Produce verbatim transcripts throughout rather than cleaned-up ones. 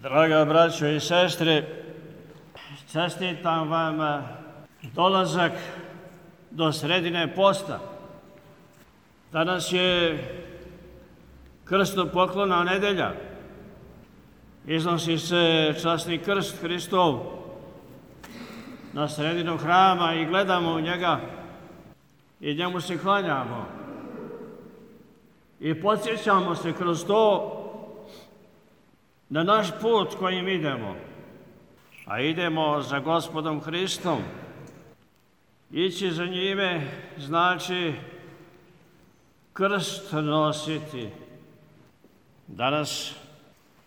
Draga braćo i sestre, čestitam vam dolazak do sredine posta. Danas je krstopoklona nedelja. Iznosi se časni krst Hristov na sredinu hrama i gledamo u njega i njemu se klanjamo. I podsjećamo se kroz to na naš put kojim idemo, a idemo za Gospodom Hristom. Ići za njime znači krst nositi. Danas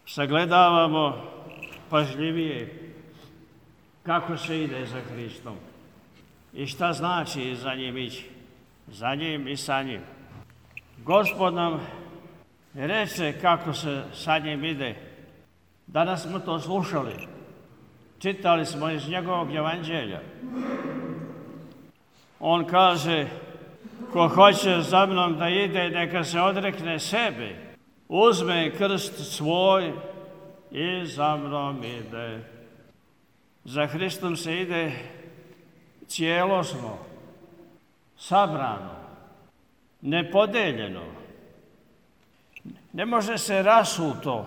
sagledavamo pažljivije kako se ide za Hristom i šta znači za njim ići, za njim i sa njim. Gospod nam reče kako se sa njim ide. Danas smo to slušali, čitali smo iz njegovog evanđelja. On kaže, ko hoće za mnom da ide, neka se odrekne sebe, uzme krst svoj i za mnom ide. Za Hristom se ide cijelosno, sabrano, nepodeljeno. Ne može se rasuto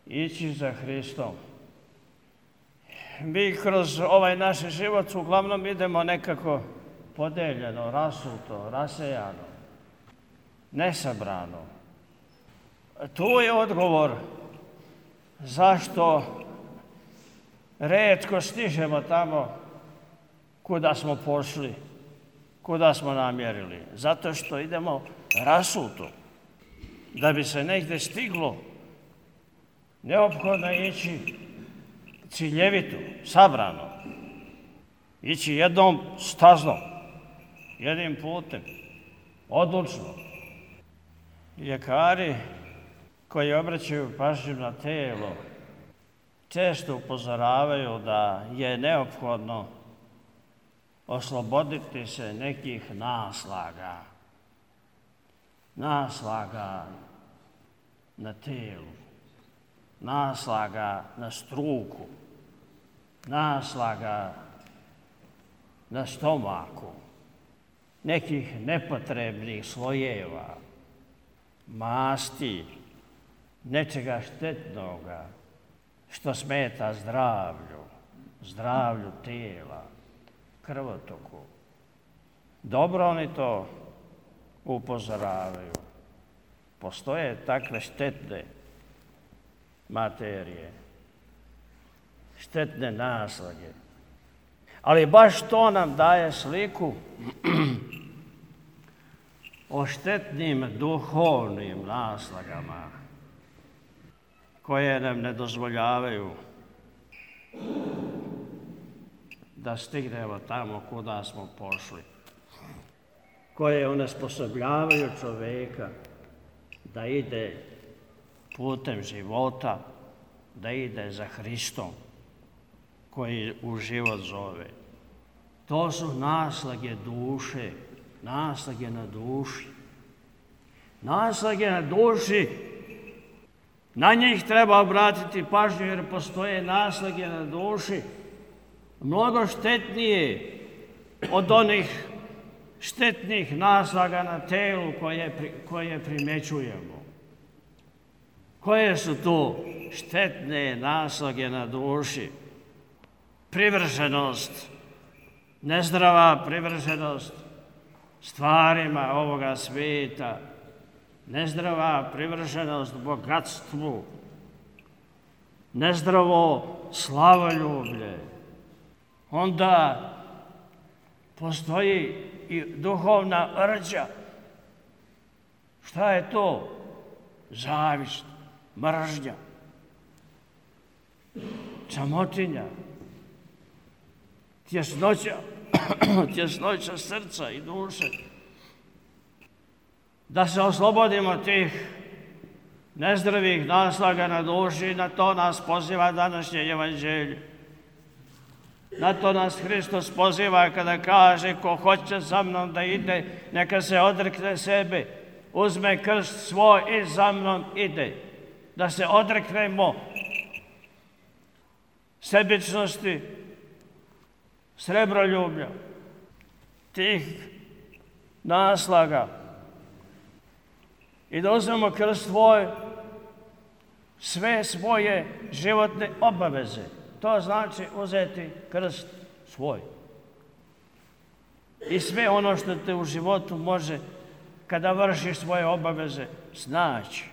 ići za Hristom. Mi kroz ovaj naš život uglavnom idemo nekako podeljeno, rasuto, rasejano, nesabrano. Tu je odgovor zašto retko stižemo tamo kuda smo pošli, kuda smo namjerili. Zato što idemo rasuto. Da bi se negdje stiglo, neophodno je ići ciljevito, sabrano, ići jednom staznom, jednim putem, odlučno. Ljekari koji obraćaju pažnju na telo često upozoravaju da je neophodno osloboditi se nekih naslaga, naslaga na telu, naslaga na struku, naslaga na stomaku, nekih nepotrebnih slojeva, masti, nečega štetnoga što smeta zdravlju, zdravlju tela, krvotoku. Dobro oni to upozoravaju. Postoje takve štetne materije, štetne naslage. Ali baš to nam daje sliku o štetnim duhovnim naslagama koje nam ne dozvoljavaju da stignemo tamo kuda smo pošli, koje onesposobljavaju čovjeka da ide putem života, da ide za Hristom koji u život zove. To su naslage duše, naslage na duši. Naslage na duši, na njih treba obratiti pažnju jer postoje naslage na duši mnogo štetnije od onih štetnih naslaga na telu koje, koje primećujemo. Koje su to štetne naslage na duši? Privrženost, nezdrava privrženost stvarima ovoga svijeta, nezdrava privrženost bogatstvu, nezdravo slavoljublje. Onda postoji i duhovna rđa. Šta je to? Zavist, mržnja, čamotinja, tjesnoća, tjesnoća srca i duše. Da se oslobodimo tih nezdravih naslaga na duši, na to nas poziva današnje evanđelje. Na to nas Hristos poziva kada kaže ko hoće za mnom da ide, neka se odrekne sebe, uzme krst svoj i za mnom ide. Da se odreknemo sebičnosti, srebroljublja, tih naslaga i da uzmemo kroz svoj sve svoje životne obaveze. To znači uzeti krst svoj. I sve ono što te u životu može, kada vršiš svoje obaveze, snaći.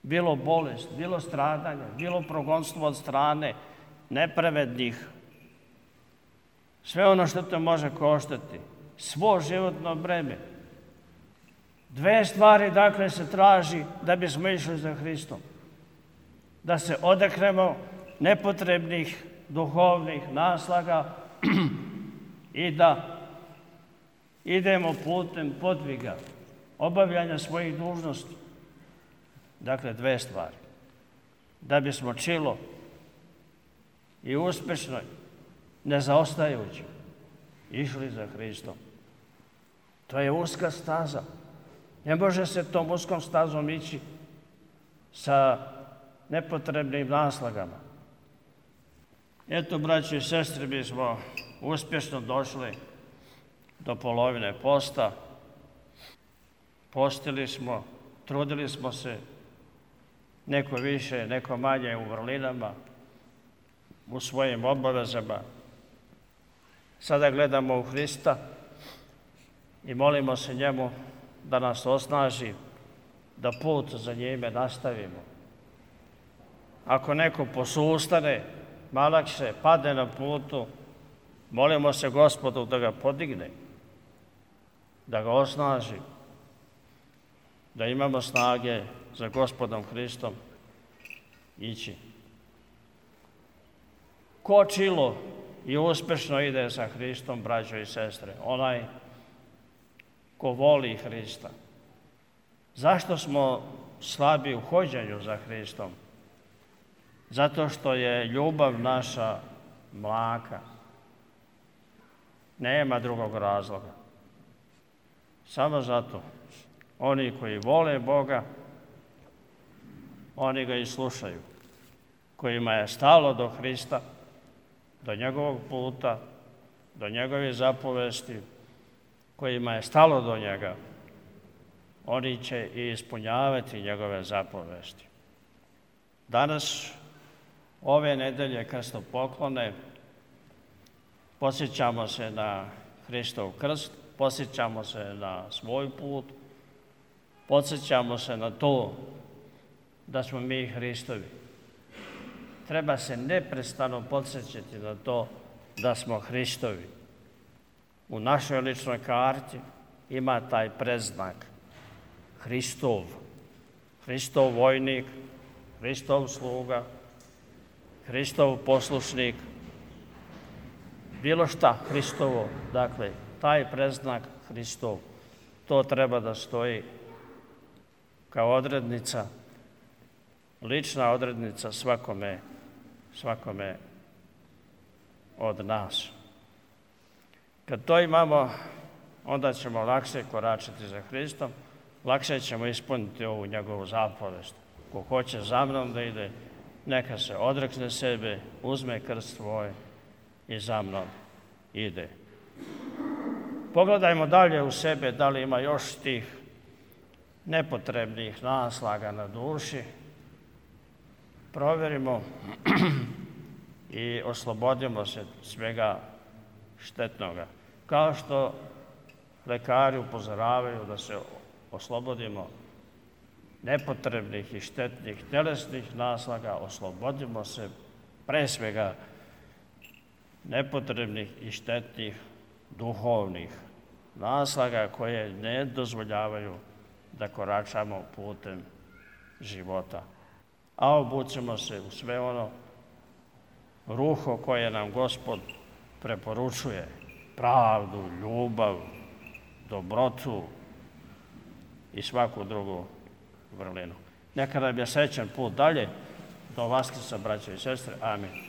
Bilo bolest, bilo stradanje, bilo progonstvo od strane nepravednih. Sve ono što te može koštati, svo životno breme. Dve stvari, dakle, se traži da bismo išli za Hristom. Da se odreknemo nepotrebnih duhovnih naslaga i da idemo putem podviga, obavljanja svojih dužnosti. Dakle, dve stvari. Da bismo čilo i uspešno, ne zaostajući, išli za Hristom. To je uska staza. Ne može se tom uskom stazom ići sa nepotrebnim naslagama. Eto, braći i sestre, mi smo uspješno došli do polovine posta. Postili smo, trudili smo se, neko više, neko manje u vrlinama, u svojim obavezama. Sada gledamo u Hrista i molimo se njemu da nas osnaži, da put za njime nastavimo. Ako neko posustane, malakše, padne na putu, molimo se Gospodu da ga podigne, da ga osnaži, da imamo snage za Gospodom Hristom ići. Ko čilo i uspešno ide za Hristom, braćo i sestre? Onaj ko voli Hrista. Zašto smo slabi u hođenju za Hristom? Zato što je ljubav naša mlaka. Nema drugog razloga. Samo zato. Oni koji vole Boga, oni ga i slušaju. Kojima je stalo do Hrista, do njegovog puta, do njegove zapovesti, kojima je stalo do njega, oni će i ispunjavati njegove zapovesti. Danas, ove nedelje krstopoklone, podsjećamo se na Hristov krst, podsjećamo se na svoj put, podsjećamo se na to da smo mi Hristovi. Treba se neprestano podsjećati na to da smo Hristovi. U našoj ličnoj karti ima taj predznak Hristov. Hristov vojnik, Hristov sluga, Hristov poslušnik, bilo šta Hristovo. Dakle, taj predznak Hristov, to treba da stoji kao odrednica, lična odrednica svakome, svakome od nas. Kad to imamo, onda ćemo lakše koračati za Hristom, lakše ćemo ispuniti ovu njegovu zapovest. Ko hoće za mnom da ide, neka se odrekne sebe, uzme krst svoj i za mnom ide. Pogledajmo dalje u sebe, da li ima još tih nepotrebnih naslaga na duši. Provjerimo i oslobodimo se svega štetnoga. Kao što lekari upozoravaju da se oslobodimo nepotrebnih i štetnih telesnih naslaga, oslobodimo se pre svega nepotrebnih i štetnih duhovnih naslaga koje ne dozvoljavaju da koračamo putem života. A obucimo se u sve ono ruho koje nam Gospod preporučuje, pravdu, ljubav, dobrotu i svaku drugu vrlinu. Neka nam je srećan put dalje, do Vaskrsa, braćo i sestre. Amin.